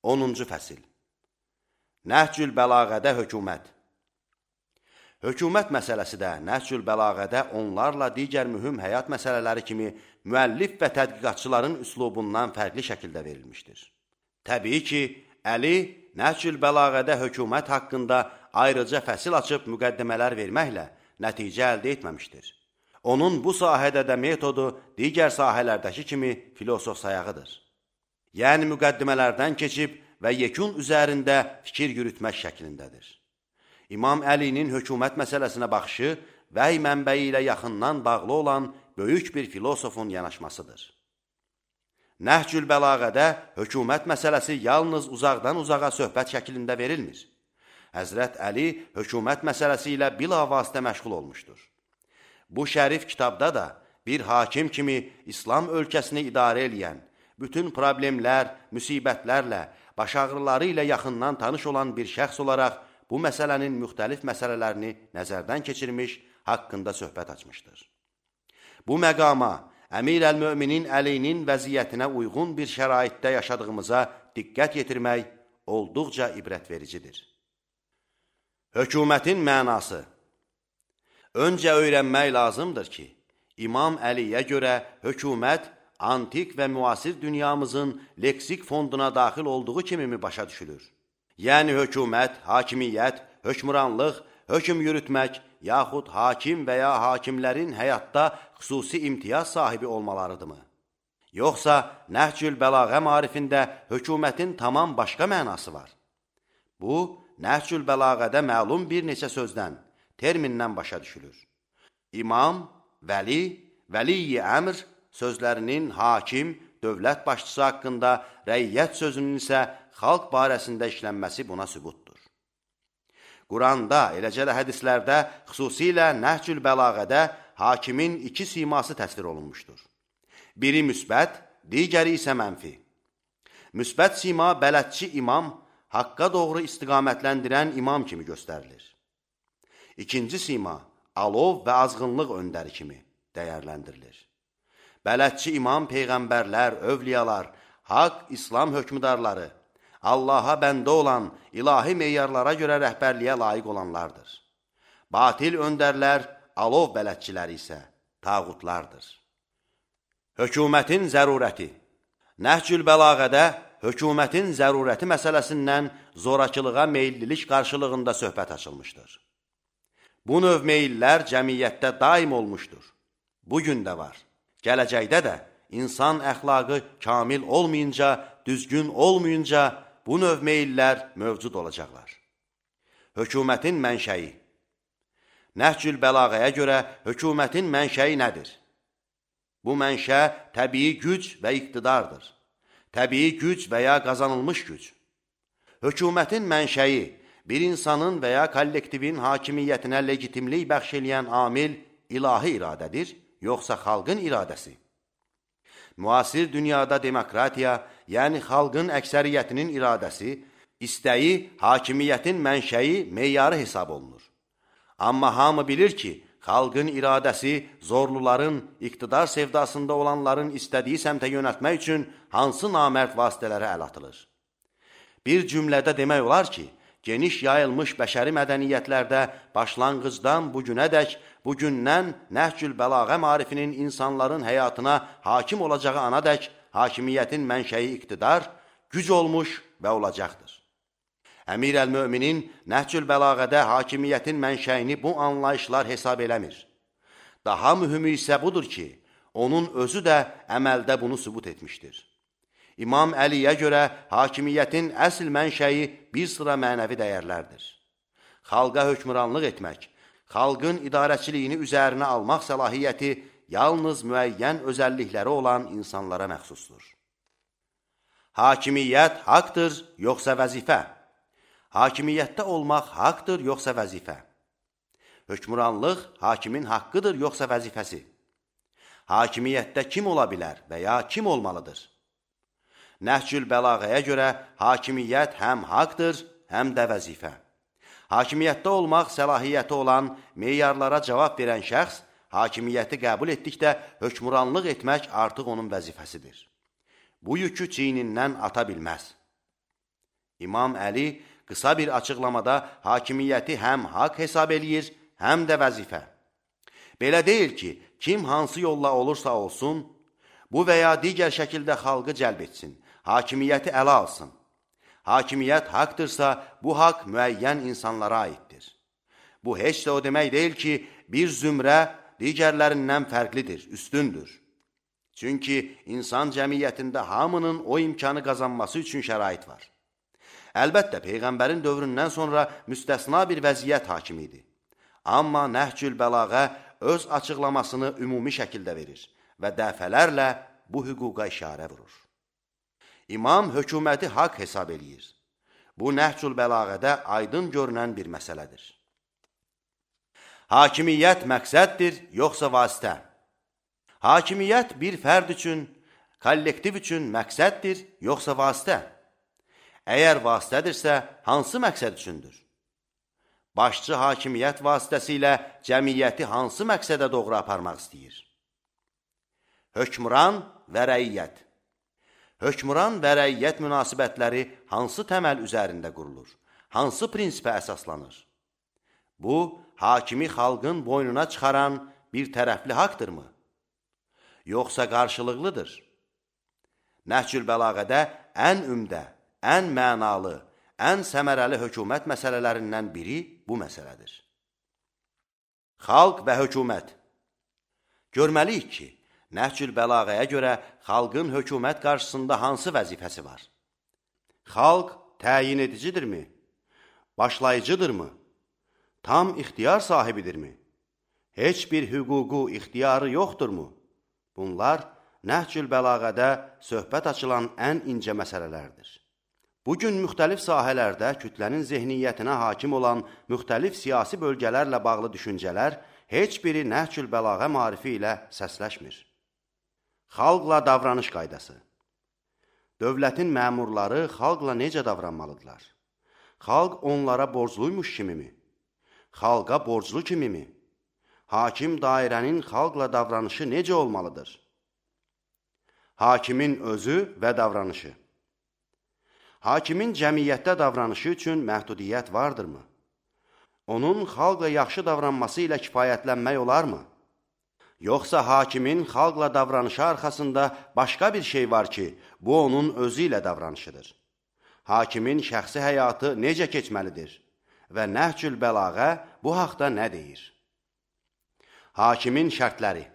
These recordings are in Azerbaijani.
10-cu fəsil. Nəhcül bəlağədə hökumət. Hökumət məsələsi də Nəhcül bəlağədə onlarla digər mühüm həyat məsələləri kimi müəllif və tədqiqatçıların üslubundan fərqli şəkildə verilmişdir. Təbii ki, Əli Nəhcül bəlağədə hökumət haqqında ayrıca fəsil açıb müqəddimələr verməklə nəticə əldə etməmişdir. Onun bu sahədə də metodu digər sahələrdəki kimi filosof sayağıdır. Yəni müqəddimələrdən keçib və yekun üzərində fikir yürütmək şəklindədir. İmam Əlinin hökumət məsələsinə baxışı vəhy mənbəyi ilə yaxından bağlı olan böyük bir filosofun yanaşmasıdır. Nəhcül bəlağədə hökumət məsələsi yalnız uzaqdan uzağa söhbət şəklində verilmir. Həzrət Əli hökumət məsələsi ilə bilavasitə məşğul olmuşdur. Bu şərif kitabda da bir hakim kimi İslam ölkəsini idarə edən, bütün problemlər, müsibətlərlə, baş ağrıları ilə yaxından tanış olan bir şəxs olaraq bu məsələnin müxtəlif məsələlərini nəzərdən keçirmiş, haqqında söhbət açmışdır. Bu məqama Əmir əl-Möminin Əlinin vəziyyətinə uyğun bir şəraitdə yaşadığımıza diqqət yetirmək olduqca ibrətvericidir. Hökumətin mənası. Öncə öyrənmək lazımdır ki, İmam Əliyə görə hökumət antik və müasir dünyamızın leksik fonduna daxil olduğu kimi mi başa düşülür? Yəni hökumət, hakimiyyət, hökmranlıq, hökm yürütmək, yaxud hakim və ya hakimlərin həyatda xüsusi imtiyaz sahibi olmalarıdırmı? Yoxsa Nəhcül bəlağə marifində hökumətin tamam başqa mənası var? Bu, Nəhcül bəlağədə məlum bir neçə sözdən, termindən başa düşülür. İmam, vəli, vəliyi əmr sözlərinin hakim, dövlət başçısı haqqında, rəiyyət sözünün isə xalq barəsində işlənməsi buna sübutdur. Quranda, eləcə də hədislərdə, xüsusilə Nəhcül bəlağədə hakimin iki siması təsvir olunmuşdur. Biri müsbət, digəri isə mənfi. Müsbət sima bələdçi imam, haqqa doğru istiqamətləndirən imam kimi göstərilir. İkinci sima, alov və azğınlıq öndəri kimi dəyərləndirilir. Bələdçi imam peyğəmbərlər, övliyalar, haqq, İslam hökmdarları, Allaha bəndə olan ilahi meyarlara görə rəhbərliyə layiq olanlardır. Batil öndərlər, alov bələdçiləri isə tağutlardır. Hökumətin zərurəti. Nəhcül bəlağədə hökumətin zərurəti məsələsindən zorakılığa meyillilik qarşılığında söhbət açılmışdır. Bu növ meyillər cəmiyyətdə daim olmuşdur. Bugün də var. Gələcəkdə də insan əxlaqı kamil olmayınca, düzgün olmayınca bu növ meyillər mövcud olacaqlar. Hökumətin mənşəyi. Nəhcül bəlağəyə görə hökumətin mənşəyi nədir? Bu mənşə təbii güc və iqtidardır. Təbii güc və ya qazanılmış güc. Hökumətin mənşəyi bir insanın və ya kollektivin hakimiyyətinə legitimlik bəxş eləyən amil ilahi iradədir, yoxsa xalqın iradəsi. Müasir dünyada demokratiya, yəni xalqın əksəriyyətinin iradəsi, istəyi hakimiyyətin mənşəyi, meyarı hesab olunur. Amma hamı bilir ki, xalqın iradəsi zorluların, iqtidar sevdasında olanların istədiyi səmtə yönəltmək üçün hansı namərd vasitələrə əl atılır? Bir cümlədə demək olar ki, geniş yayılmış bəşəri mədəniyyətlərdə başlanğıcdan bugünədək, bugündən Nəhcül bəlağə marifinin insanların həyatına hakim olacağı anadək hakimiyyətin mənşəyi iqtidar, güc olmuş və olacaqdır. Əmir əl-Möminin Nəhcül bəlağədə hakimiyyətin mənşəyini bu anlayışlar hesab eləmir. Daha mühümü isə budur ki, onun özü də əməldə bunu sübut etmişdir. İmam Əliyə görə hakimiyyətin əsl mənşəyi bir sıra mənəvi dəyərlərdir. Xalqa hökmranlıq etmək, xalqın idarəçiliyini üzərinə almaq səlahiyyəti yalnız müəyyən özəllikləri olan insanlara məxsusdur. Hakimiyyət haqdır, yoxsa vəzifə? Hakimiyyətdə olmaq haqdır, yoxsa vəzifə? Hökmranlıq hakimin haqqıdır, yoxsa vəzifəsi? Hakimiyyətdə kim ola bilər və ya kim olmalıdır? Nəhcül bəlağəyə görə hakimiyyət həm haqdır, həm də vəzifə. Hakimiyyətdə olmaq səlahiyyəti olan, meyarlara cavab verən şəxs hakimiyyəti qəbul etdikdə hökmranlıq etmək artıq onun vəzifəsidir. Bu yükü çiynindən ata bilməz. İmam Əli qısa bir açıqlamada hakimiyyəti həm haqq hesab eləyir, həm də vəzifə. Belə deyil ki, kim hansı yolla olursa olsun, bu və ya digər şəkildə xalqı cəlb etsin, hakimiyyəti ələ alsın. Hakimiyyət haqdırsa, bu haqq müəyyən insanlara aiddir. Bu heç də o demək deyil ki, bir zümrə digərlərindən fərqlidir, üstündür. Çünki insan cəmiyyətində hamının o imkanı qazanması üçün şərait var. Əlbəttə, Peyğəmbərin dövründən sonra müstəsna bir vəziyyət hakim idi. Amma Nəhcül Bəlağə öz açıqlamasını ümumi şəkildə verir və dəfələrlə bu hüquqa işarə vurur. İmam hökuməti haqq hesab eləyir. Bu Nəhcül Bəlağədə aydın görünən bir məsələdir. Hakimiyyət məqsəddir, yoxsa vasitə? Hakimiyyət bir fərd üçün, kollektiv üçün məqsəddir, yoxsa vasitə? Əgər vasitədirsə, hansı məqsəd üçündür? Başçı hakimiyyət vasitəsilə cəmiyyəti hansı məqsədə doğru aparmaq istəyir? Hökmran və rəiyyət. Hökmran və rəiyyət münasibətləri hansı təməl üzərində qurulur? Hansı prinsipə əsaslanır? Bu, hakimi xalqın boynuna çıxaran bir tərəfli haqdırmı? Yoxsa qarşılıqlıdır? Nəhcül Bəlağədə ən ümdə, ən mənalı, ən səmərəli hökumət məsələlərindən biri bu məsələdir. Xalq və hökumət. Görməliyik ki, Nəhcül Bəlağəyə görə xalqın hökumət qarşısında hansı vəzifəsi var? Xalq təyin edicidirmi? Başlayıcıdırmı? Tam ixtiyar sahibidirmi? Heç bir hüququ, ixtiyarı yoxdurmu? Bunlar Nəhcül Bəlağədə söhbət açılan ən incə məsələlərdir. Bugün müxtəlif sahələrdə kütlənin zehniyyətinə hakim olan müxtəlif siyasi bölgələrlə bağlı düşüncələr heç biri Nəhcül Bəlağə marifi ilə səsləşmir. Xalqla davranış qaydası. Dövlətin məmurları xalqla necə davranmalıdırlar? Xalq onlara borcluymuş kimimi? Xalqa borclu kimimi? Hakim dairənin xalqla davranışı necə olmalıdır? Hakimin özü və davranışı. Hakimin cəmiyyətdə davranışı üçün məhdudiyyət vardırmı? Onun xalqla yaxşı davranması ilə kifayətlənmək olarmı? Yoxsa hakimin xalqla davranışı arxasında başqa bir şey var ki, bu onun özü ilə davranışıdır. Hakimin şəxsi həyatı necə keçməlidir? Və Nəhcül Bəlağə bu haqda nə deyir? Hakimin şərtləri.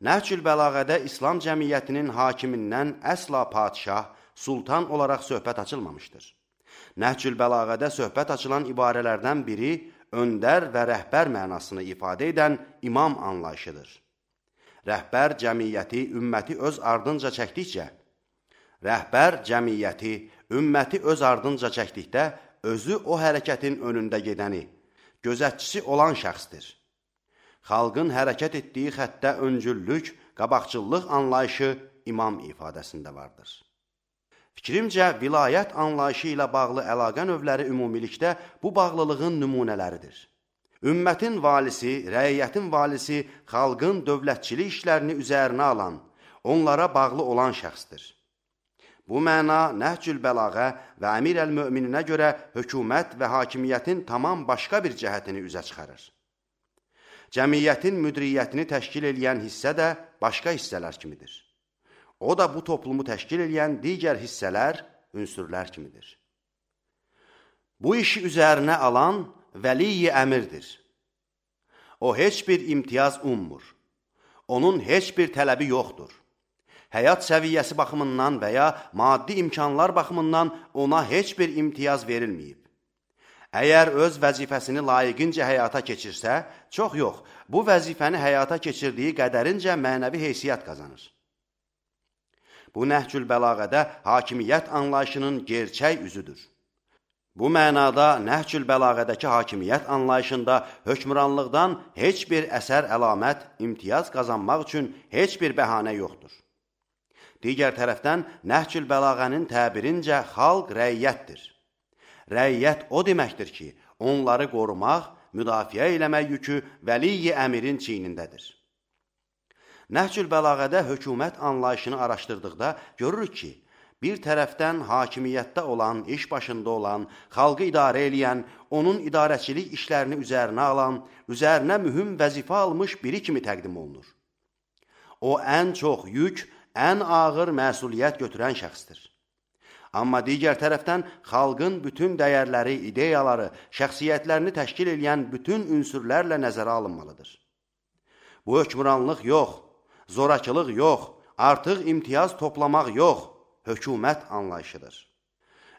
Nəhcül Bəlağədə İslam cəmiyyətinin hakimindən əsla padişah, sultan olaraq söhbət açılmamışdır. Nəhcül Bəlağədə söhbət açılan ibarələrdən biri öndər və rəhbər mənasını ifadə edən imam anlayışıdır. Rəhbər cəmiyyəti, ümməti öz ardınca çəkdikcə, özü o hərəkətin önündə gedəni, gözətçisi olan şəxsdir. Xalqın hərəkət etdiyi xəttə öncüllük, qabaqcıllıq anlayışı imam ifadəsində vardır. Fikrimcə, vilayət anlayışı ilə bağlı əlaqə növləri ümumilikdə bu bağlılığın nümunələridir. Ümmətin valisi, rəiyyətin valisi xalqın dövlətçilik işlərini üzərinə alan, onlara bağlı olan şəxsdir. Bu məna Nəhcül Bəlağə və Əmir əl-Mömininə görə hökumət və hakimiyyətin tamam başqa bir cəhətini üzə çıxarır. Cəmiyyətin müdiriyyətini təşkil eləyən hissə də başqa hissələr kimidir. O da bu toplumu təşkil eləyən digər hissələr, ünsürlər kimidir. Bu işi üzərinə alan vəliyi əmirdir. O heç bir imtiyaz ummur. Onun heç bir tələbi yoxdur. Həyat səviyyəsi baxımından və ya maddi imkanlar baxımından ona heç bir imtiyaz verilməyib. Əgər öz vəzifəsini layiqincə həyata keçirsə, çox yox, bu vəzifəni həyata keçirdiyi qədərincə mənəvi heysiyyət qazanır. Bu Nəhcül Bəlağədə hakimiyyət anlayışının gerçək üzüdür. Bu mənada Nəhcül Bəlağədəki hakimiyyət anlayışında hökmranlıqdan heç bir əsər əlamət, imtiyaz qazanmaq üçün heç bir bəhanə yoxdur. Digər tərəfdən Nəhcül Bəlağənin təbirincə xalq rəiyyətdir. Rəiyyət o deməkdir ki, onları qorumaq, müdafiə eləmək yükü vəliyi əmirin çiynindədir. Nəhcül Bəlağədə hökumət anlayışını araşdırdıqda görürük ki, bir tərəfdən hakimiyyətdə olan, iş başında olan, xalqı idarə eləyən, onun idarəçilik işlərini üzərinə alan, üzərinə mühüm vəzifə almış biri kimi təqdim olunur. O, ən çox yük, ən ağır məsuliyyət götürən şəxsdir. Amma digər tərəfdən xalqın bütün dəyərləri, ideyaları, şəxsiyyətlərini təşkil edən bütün ünsürlərlə nəzərə alınmalıdır. Bu hökmranlıq yox, zorakılıq yox, artıq imtiyaz toplamaq yox, hökumət anlayışıdır.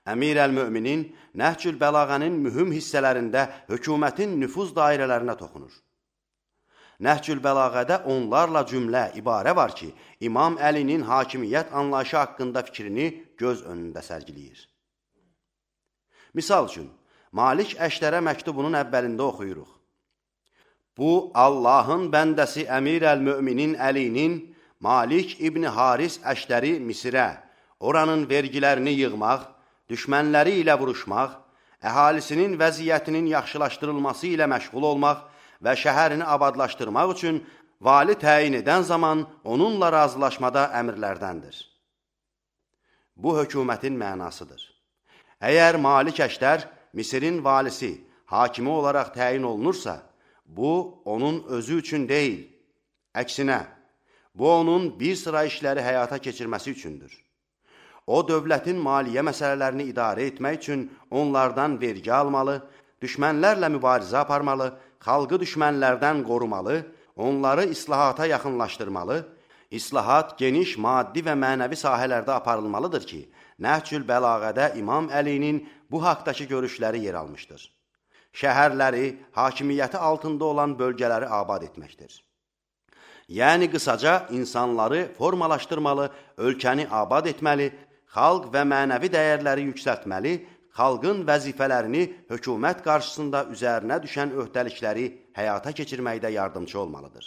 Əmir əl-Möminin Nəhcül Bəlağənin mühüm hissələrində hökumətin nüfuz dairələrinə toxunur. Nəhcül Bəlağədə onlarla cümlə, ibarə var ki, İmam Əlinin hakimiyyət anlayışı haqqında fikrini göz önündə sərgiləyir. Misal üçün, Malik Əşdərə məktubunun əvvəlində oxuyuruq. Bu, Allahın bəndəsi Əmir əl-Möminin Əlinin Malik İbni Haris Əşdəri Misirə, oranın vergilərini yığmaq, düşmənləri ilə vuruşmaq, əhalisinin vəziyyətinin yaxşılaşdırılması ilə məşğul olmaq və şəhərini abadlaşdırmaq üçün vali təyin edən zaman onunla razılaşmada əmrlərdəndir. Bu, hökumətin mənasıdır. Əgər Malik Əşdər Misirin valisi, hakimi olaraq təyin olunursa, bu, onun özü üçün deyil. Əksinə, bu, onun bir sıra işləri həyata keçirməsi üçündür. O, dövlətin maliyyə məsələlərini idarə etmək üçün onlardan vergi almalı, düşmənlərlə mübarizə aparmalı, xalqı düşmənlərdən qorumalı, onları islahata yaxınlaşdırmalı, islahat geniş maddi və mənəvi sahələrdə aparılmalıdır ki, Nəhcül Bəlağədə İmam Əlinin bu haqdakı görüşləri yer almışdır. Şəhərləri, hakimiyyəti altında olan bölgələri abad etməkdir. Yəni, qısaca insanları formalaşdırmalı, ölkəni abad etməli, xalq və mənəvi dəyərləri yüksəltməli, xalqın vəzifələrini hökumət qarşısında üzərinə düşən öhdəlikləri həyata keçirməkdə yardımcı olmalıdır.